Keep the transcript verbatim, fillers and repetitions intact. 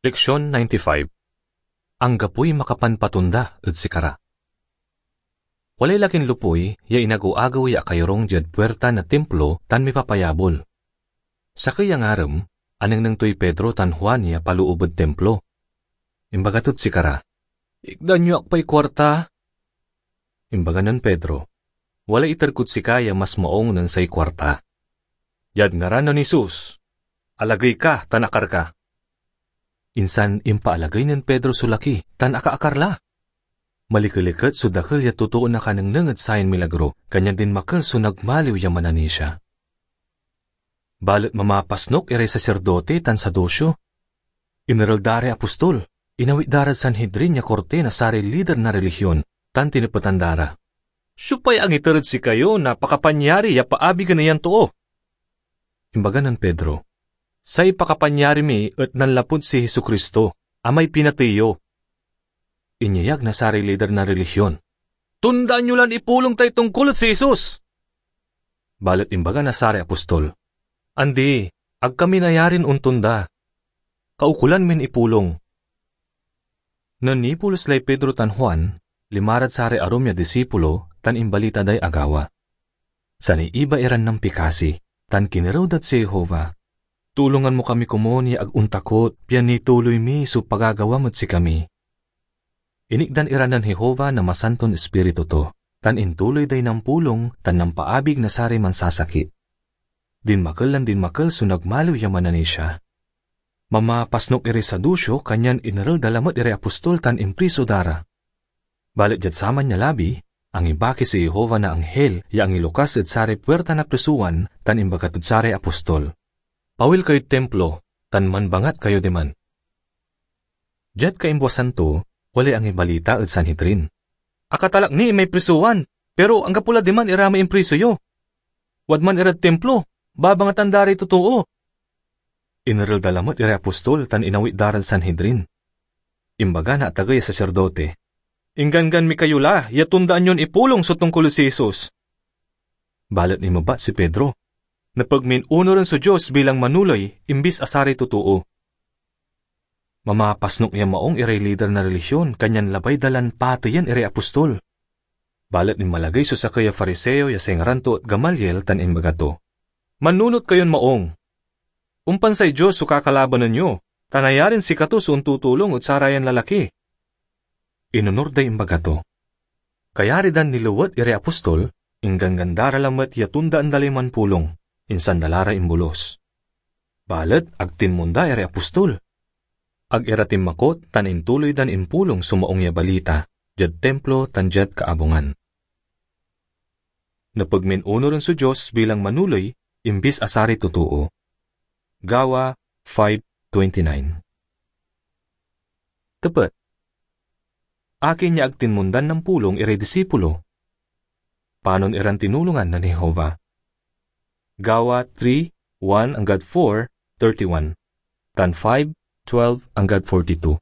Leksion ninety-five. Anggapoy makapanpatonda ed sikara. Walay lakin lopuy ya inagew-agew ya akayorung diad puirta na Timplo tan mipapayabol. Sakey ya ngarem, anengneng toy Pedro tan Juan ya paloob ed Timplo. Imbaga tod sikara, "Ikdan yo ak pay kuarta." Imbaga nen Pedro, "Walay iter kod sika ya mas maong nen say kuarta. Diad ngaran nen Jesus, alagey ka tan akar ka." Insan impaalagey nen Pedro so laki tan akaakar la. Malikeliket so dakel ya totoon akanengneng ed sayan milagro, kanyan dinmakel so nagmaliw ya mananisia. Balet mamapasnok iray saserdote tan Saduceo. Inerel da ray apostol, inawit da rad Sanhedrin ya korti na saray lider na relihion, tan tinepetan da ra, "Siopay angiter ed sikayo na pakapanyari ya paabigen nen yan too?" Imbaga nen Pedro, "Say pakapanyari mi et nanlapud si Jesu-Cristo, a may pinatey yo." Inyeyag na saray lider na relihion, "Tundaan yo lan ipulong tay tongkol ed si Jesus!" Balet imbaga na saray apostol, "Andi, ag kami nayarin ontonda. Kaukolan min ipulong." Nen nipulos lay Pedro tan Juan, linma rad saray arum ya disipulo tan imbalita day agawa. Saniiba iran nampikasi, tan kinerew dad si Jehovah, "Tulongan mo kami komun ya ag ontakot, pian nituloy mi so pagagawam ed sikami." Inikdan ira nen Jehovah na Masanton Ispiritu to, tan intuloy day nampulong tan nampaabig na saray mansasakit. Dinmakel lan dinmakel so nagmaliw ya mananisia. Mamapasnok iray Saduceo, kanyan inerel da lamet iray apostol tan impriso da ra. Balet diad saman ya labi, angibaki si Jehovah na anghel ya angilokas ed saray puirta na prisowan tan imbaga tod saray apostol, "Pawil kayod Timplo tan manbangat kayo diman." Diad kaimbuasan to, walay angibalita ed Sanhedrin, "Akatalak ni imay prisowan, pero anggapo la diman ira may impriso yo. Wadman irad Timplo, babangatan da ray totoo." Inerel da lamet iray apostol tan inawit da rad Sanhedrin. Imbaga na atagey a saserdote, "Ingganggan mi kayo la ya tondaan yon ipulong so tongkol ed si Jesus." Balet inmebat si Pedro, "Nepeg min onuren so Dios bilang manoley imbis a saray totoo." Mamapasnok ya maong iray lider na relihion, kanyan labay da lan pateyen iray apostol. Balet inmalagey so sakey a Fariseo ya say ngaran to et Gamaliel tan imbaga to, "Mannunot kayon maong. Ompan say Dios so kakalabanen yo, ta nayarin sikato so ontutulong ed sarayan lalaki." Inonur day imbaga to. Kayari dan nilewet iray apostol, ingganggan da ra lamet ya tondaan da lay manpulong, insan da la ra imbolus. Balet ag tinmonda iray apostol. Ag ira tinmakot tan intuloy dan impulong so Maung ya Balita diad Timplo tan diad kaabungan. Nepeg min onuren so Dios bilang manoley imbis a saray totoo. Gawa five twenty-nine. Tepet, akin ya ag tinmondan nampulong iray disipulo? Panon iran tinulongan nen Jehovah? Gawa three, one anggad four thirty-one, tan five, twelve anggad forty-two.